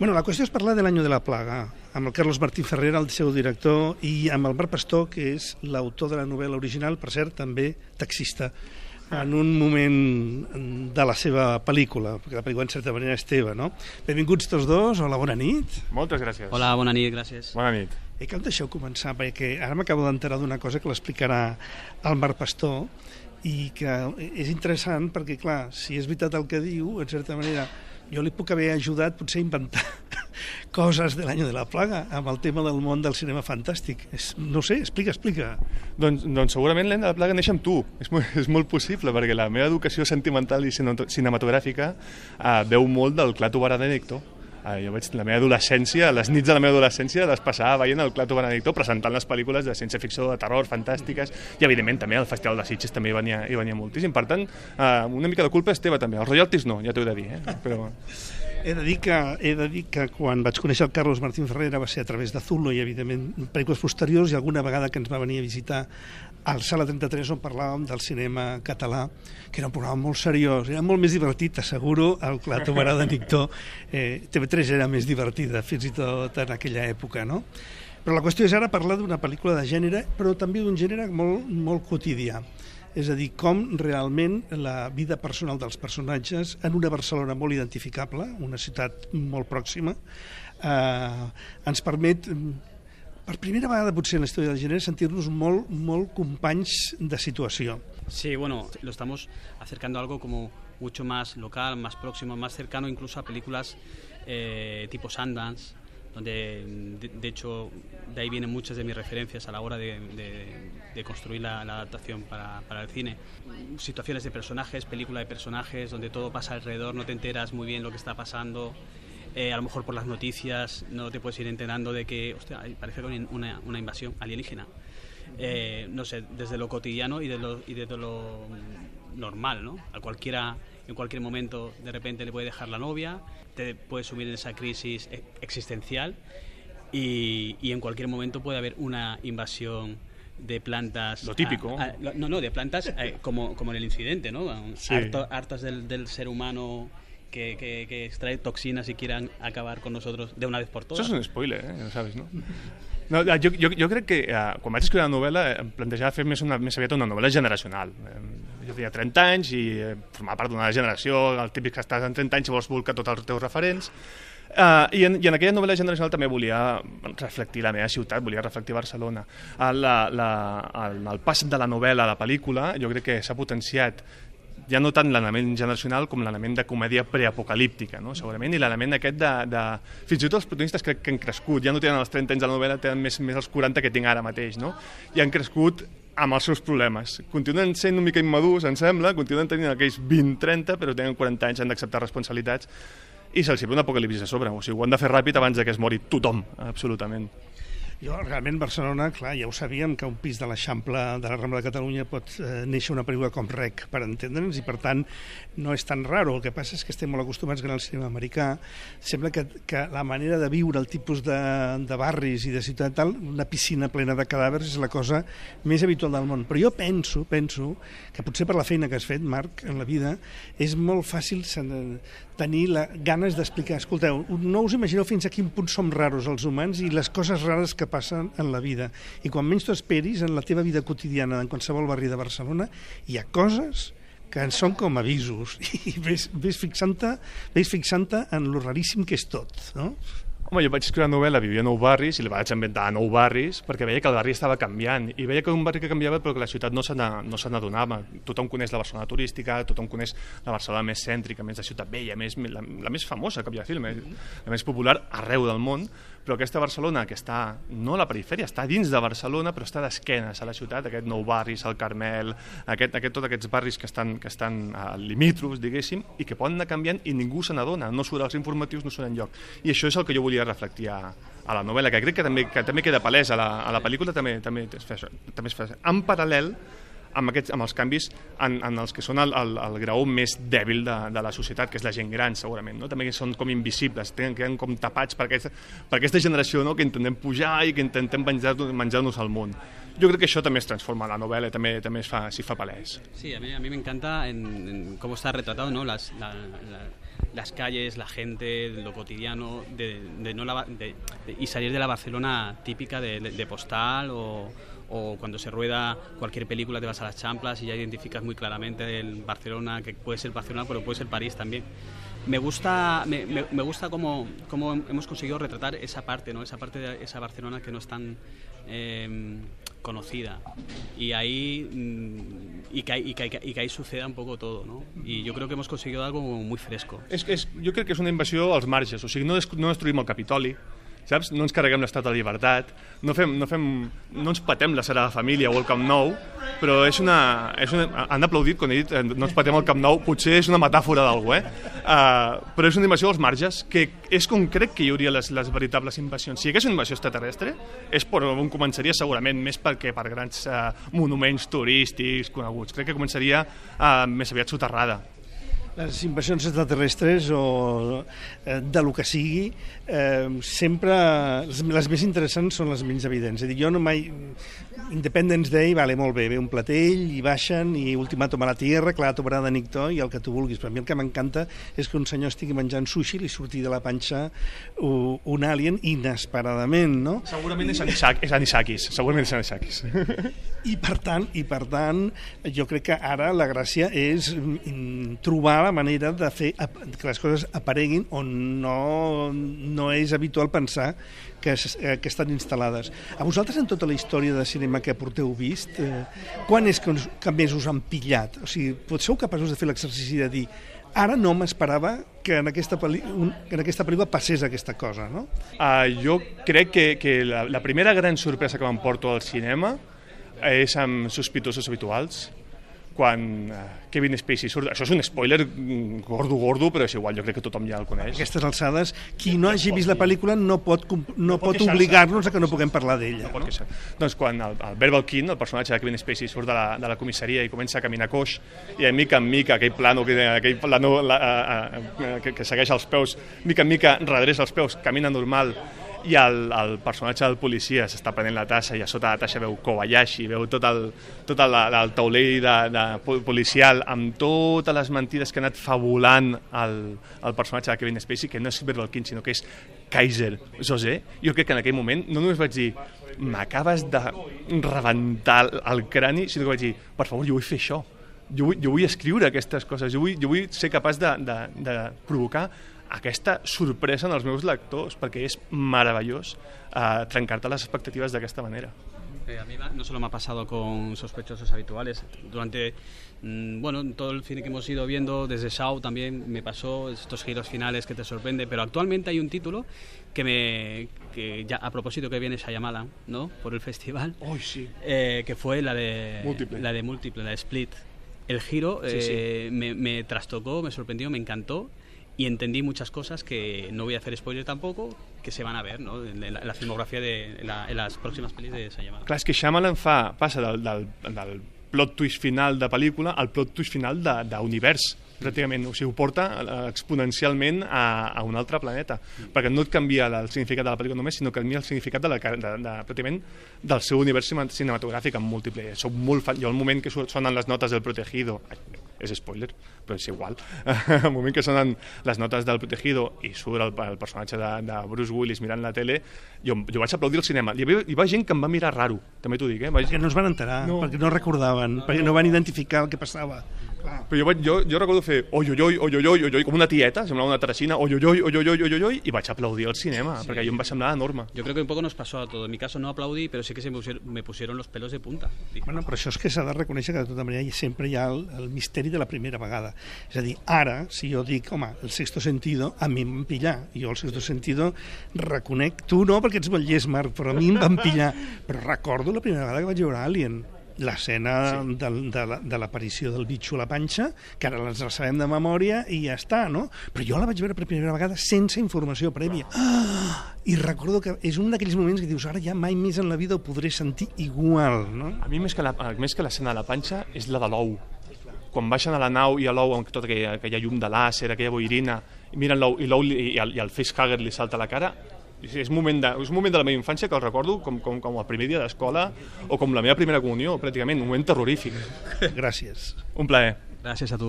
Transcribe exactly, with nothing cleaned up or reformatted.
Bueno, la qüestió és parlar de l'Año de la Plaga, amb el Carlos Martín Ferrer, el seu director, i amb el Marc Pastor, que és l'autor de la novel·la original, per cert, també taxista, en un moment de la seva pel·lícula, perquè la pel·lícula en certa manera és teva, no? Benvinguts tots dos, hola, bona nit. Moltes gràcies. Hola, bona nit, gràcies. Bona nit. I que em deixeu començar, perquè ara m'acabo d'enterar d'una cosa que l'explicarà el Marc Pastor, i que és interessant perquè, clar, si és veritat el que diu, en certa manera, jo li puc haver ajudat potser a inventar coses de l'Año de la Plaga amb el tema del món del cinema fantàstic. És, no sé, explica, explica. Doncs, doncs segurament l'Any de la Plaga neix amb tu. És molt, és molt possible, perquè la meva educació sentimental i cinematogràfica eh, veu molt del Clato Benedicto. Eh, jo vaig, la meva adolescència, les nits de la meva adolescència les passava veient el Clato Benedicto presentant les pel·lícules de ciència-ficció, de terror, fantàstiques, i evidentment també el Festival de Sitges també hi venia, hi venia moltíssim. Per tant, eh, una mica de culpa és teva també. Els royalties no, ja t'ho he de dir, eh? Però... He de dir que, he de dir que quan vaig conèixer el Carlos Martín Ferrer va ser a través de Zulo i, evidentment, pel·lícules posteriors, i alguna vegada que ens va venir a visitar al Sala trenta-tres on parlàvem del cinema català, que era un programa molt seriós, era molt més divertit, t'asseguro, el Clato Benedicto. Eh, T V tres era més divertida, fins i tot en aquella època, no? Però la qüestió és ara parlar d'una pel·lícula de gènere, però també d'un gènere molt, molt quotidià. És a dir, com realment la vida personal dels personatges en una Barcelona molt identificable, una ciutat molt pròxima, eh, ens permet, per primera vegada potser en la història del gènere, sentir-nos molt, molt companys de situació. Sí, bueno, lo estamos acercando a algo como mucho más local, más próximo, más cercano incluso a películas eh, tipo Sundance, donde de, de hecho de ahí vienen muchas de mis referencias a la hora de, de, de construir la, la adaptación para, para el cine. Situaciones de personajes, película de personajes, donde todo pasa alrededor, no te enteras muy bien lo que está pasando, eh, a lo mejor por las noticias no te puedes ir enterando de que, hostia, parece una, una invasión alienígena. Eh, no sé, desde lo cotidiano y de lo, y desde lo normal, ¿no? A cualquiera, en cualquier momento de repente le puede dejar la novia, te puedes sumir en esa crisis existencial y, y en cualquier momento puede haber una invasión de plantas. Lo típico. A, a, no, no, de plantas eh, como, como en el incidente, ¿no? Sí. Harto, hartas del, del ser humano que, que, que extrae toxinas y quieran acabar con nosotros de una vez por todas. Això és un spoiler, eh? Ja sabes, no? No, jo, jo, jo crec que eh, quan vaig escriure la novel·la em plantejava fer més, una, més aviat una novel·la generacional. Eh, jo tenia trenta anys i eh, formava part d'una generació, el típic que estàs en trenta anys i vols volcar tots els teus referents. Uh, i, en, I en aquella novel·la generacional també volia reflectir la meva ciutat, volia reflectir Barcelona. Uh, la, la, el, el pas de la novel·la a la pel·lícula jo crec que s'ha potenciat ja no tant l'element generacional com l'element de comèdia preapocalíptica, no? Segurament, i l'element aquest de, de... Fins i tot els protagonistes crec que han crescut, ja no tenen els trenta anys de la novel·la, tenen més, més els quaranta que tinc ara mateix, no? I han crescut amb els seus problemes. Continuen sent una mica immadurs, em sembla, continuen tenint aquells vint trenta, però tenen quaranta anys, han d'acceptar responsabilitats, i se'ls ve un apocalipsi a sobre. O sigui, ho han de fer ràpid abans que es mori tothom, absolutament. Jo, realment, Barcelona, clar, ja ho sabíem, que un pis de l'Eixample de la Rambla de Catalunya pot eh, néixer una pel·lícula com Rec, per entendre'ns, i per tant no és tan raro. El que passa és que estem molt acostumats que en el cinema americà sembla que, que la manera de viure, el tipus de, de barris i de ciutat tal, una piscina plena de cadàvers és la cosa més habitual del món. Però jo penso, penso que potser per la feina que has fet, Marc, en la vida, és molt fàcil tenir la, ganes d'explicar. Escolteu, no us imagineu fins a quin punt som raros els humans i les coses rares que passen en la vida. I quan menys t'ho esperis, en la teva vida quotidiana, en qualsevol barri de Barcelona, hi ha coses que en són com avisos. I ves, ves fixant-te ves fixant-te en lo raríssim que és tot, no? Home, jo vaig escriure una novel·la, vivia a nou barris, i la vaig inventar a nou barris, perquè veia que el barri estava canviant, i veia que un barri que canviava però que la ciutat no se n'adonava. Tothom coneix la Barcelona turística, tothom coneix la Barcelona més cèntrica, més de ciutat vella, més, la, la més famosa que havia film, la més popular arreu del món, però aquesta Barcelona que està, no a la perifèria, està dins de Barcelona, però està d'esquenes a la ciutat, aquest nou barris, el Carmel, aquest, aquest, tots aquests barris que estan, que estan limítrofs, diguéssim, i que poden anar canviant i ningú se n'adona, no surt als informatius, no surt enlloc. I això és el que jo volia reflectir a, a la novel·la, que crec que també, que també queda palès a la, a la pel·lícula, també, també, es fa, també es fa. En paral·lel amb, aquests, amb els canvis en, en els que són el, el, el graó més dèbil de, de la societat, que és la gent gran, segurament, no? També són com invisibles, tenen, queden com tapats per aquesta, per aquesta generació, no? Que intentem pujar i que intentem menjar-nos menjar al món. Jo crec que això també es transforma en la novel·la, també, també s'hi fa, fa palès. Sí, a mí, a mí me encanta en, en cómo está retratado, ¿no? Las, la, la, las calles, la gente, lo cotidiano, de, de no la, de, de, y salir de la Barcelona típica de, de, de Postal o, o cuando se rueda cualquier película te vas a las Champlas y ya identificas muy claramente el Barcelona, que puede ser Barcelona pero puede ser París también. Me gusta, me, me, me gusta cómo, cómo hemos conseguido retratar esa parte, ¿no? Esa parte de esa Barcelona que no es tan eh, conocida y ahí y que, y, que, y que ahí suceda un poco todo, ¿no? Y yo creo que hemos conseguido algo muy fresco. És, és, jo crec que és una invasió als marges, o sigui, no, des, no destruïm el Capitoli, saps? No ens carreguem l'Estat de Llibertat, no, fem, no, fem, no ens patem la Sagrada Família o el Camp Nou, però és una, és una, han aplaudit quan he dit no ens patem el Camp Nou, potser és una metàfora d'algú, eh? Uh, però és una invasió als marges, que és com crec que hi hauria les, les veritables invasions. Si hi hagués una invasió extraterrestre, és per on començaria segurament més perquè per grans uh, monuments turístics coneguts. Crec que començaria uh, més aviat soterrada. Les invasions extraterrestres o eh, de lo que sigui, eh, sempre les, les més interessants són les menys evidents. És a dir, jo no mai... Independence Day, vale, molt bé, ve un platell i baixen i ultimàtum a la Tierra, clar, tomarà de Nictó i el que tu vulguis. Però a mi el que m'encanta és que un senyor estigui menjant sushi i li surti de la panxa un alien inesperadament, no? Segurament és Anisakis, és Anisakis. segurament és Anisakis. I per tant, i per tant, jo crec que ara la gràcia és trobar la manera de fer que les coses apareguin on no, no és habitual pensar que, que estan instal·lades. A vosaltres, en tota la història de cinema que porteu vist, eh, quan és que, que més us han pillat? O sigui, sou capaços de fer l'exercici de dir ara no m'esperava que en aquesta, pel·li, en aquesta pel·lícula passés aquesta cosa, no? Uh, jo crec que, que la, la primera gran sorpresa que m'emporto al cinema és amb Sospitosos Habituals, quan uh, Kevin Spacey surt. Això és un spoiler gordo, gordo, però és igual, jo crec que tothom ja el coneix. A aquestes alçades, qui no hagi vist la pel·lícula no pot, no, no pot, pot obligar-nos a que no puguem parlar d'ella. No, no? Doncs quan el, el Verbal King, el personatge de Kevin Spacey, surt de la, de la comissaria i comença a caminar coix, i a mica en mica aquell plano, aquell plano la, a, a, que, que segueix els peus, mica en mica redressa els peus, camina normal, i el, el personatge del policia s'està prenent la tassa i a sota la tassa veu Kobayashi, veu tot el, tot el, el taulell de, de policial amb totes les mentides que ha anat fabulant el, el personatge de Kevin Spacey, que no és Verbal King, sinó que és Kaiser José. Jo crec que en aquell moment no només vaig dir m'acabes de rebentar el crani, sinó que vaig dir, per favor, jo vull fer això. Jo vull, jo vull escriure aquestes coses, jo vull, jo vull ser capaç de, de, de provocar aquesta sorpresa en els meus lectors, perquè és meravellós eh, trencar-te les expectatives d'aquesta manera. Eh, a mí no solo me ha pasado con Sospechosos Habituales, durante mmm, bueno, todo el cine que hemos ido viendo, desde Shaw también me pasó estos giros finales que te sorprende, pero actualmente hay un título que me que ya a propósito que viene Shyamalan, ¿no? Por el festival, oh, sí. eh, que fue la de Múltiple, la de Múltiple, la de Split. El giro sí, eh, sí. Me, me trastocó, me sorprendió, me encantó. Y entendí muchas cosas que no voy a hacer spoiler tampoco, que se van a ver, ¿no? en, la, en la filmografía de en, la, en las próximas pelis de Shyamalan. Clar, és que Shyamalan fa, passa del, del, del plot twist final de pel·lícula al plot twist final d'univers, pràcticament. O sigui, ho porta exponencialment a, a un altre planeta, mm. perquè no et canvia el significat de la pel·lícula només, sinó que canvia el significat de la, de, de, de, pràcticament del seu univers cinematogràfic en múltiple. Soc molt fan. Jo al moment que sonen les notes del Protegido, és spoiler, però és igual, al moment que sonen les notes del Protegido i surt el, el personatge de, de Bruce Willis mirant la tele, jo, jo vaig aplaudir al cinema. Hi va, hi va gent que em va mirar raro, també t'ho dic, eh? Vaig... Perquè no es van enterar, no. perquè no recordaven, perquè no van identificar el que passava. Clar. Però jo, vaig, jo, jo recordo fer oi, oi, oi, oi, oi, oi, oi, com una tieta, semblava una terracina, oi, oi, oi, oi, oi, oi, oi, oi, i vaig aplaudir al cinema, sí. perquè jo em va semblar enorme. Yo creo que un poco nos pasó a todos. En mi caso no aplaudí, pero sí que se me pusieron, me pusieron los pelos de punta. Bueno, però això és que s'ha de reconèixer que de tota manera sempre hi ha el, el misteri de la primera vegada. És a dir, ara, si jo dic, home, el sexto sentido, a mi em van pillar. Jo el sexto sentido reconec, tu no, perquè ets molt llest, Marc, però a mi em van pillar. Però recordo la primera vegada que vaig veure Alien, l'escena sí. de, de, de l'aparició del bitxo a la panxa, que ara les sabem de memòria i ja està, no? Però jo la vaig veure per primera vegada sense informació prèvia. Ah! I recordo que és un d'aquells moments que dius, ara ja mai més en la vida ho podré sentir igual, no? A mi més que, la, més que l'escena de la panxa és la de l'ou. Quan baixen a la nau i a l'ou amb tota aquella, aquella llum de làser, aquella boirina, i miren l'ou i l'ou i, i, i el facehugger li salta a la cara, és un moment de, és un moment de la meva infància que el recordo com, com, com el primer dia d'escola o com la meva primera comunió, pràcticament, un moment terrorífic. Gràcies. Un plaer. Gràcies a tu.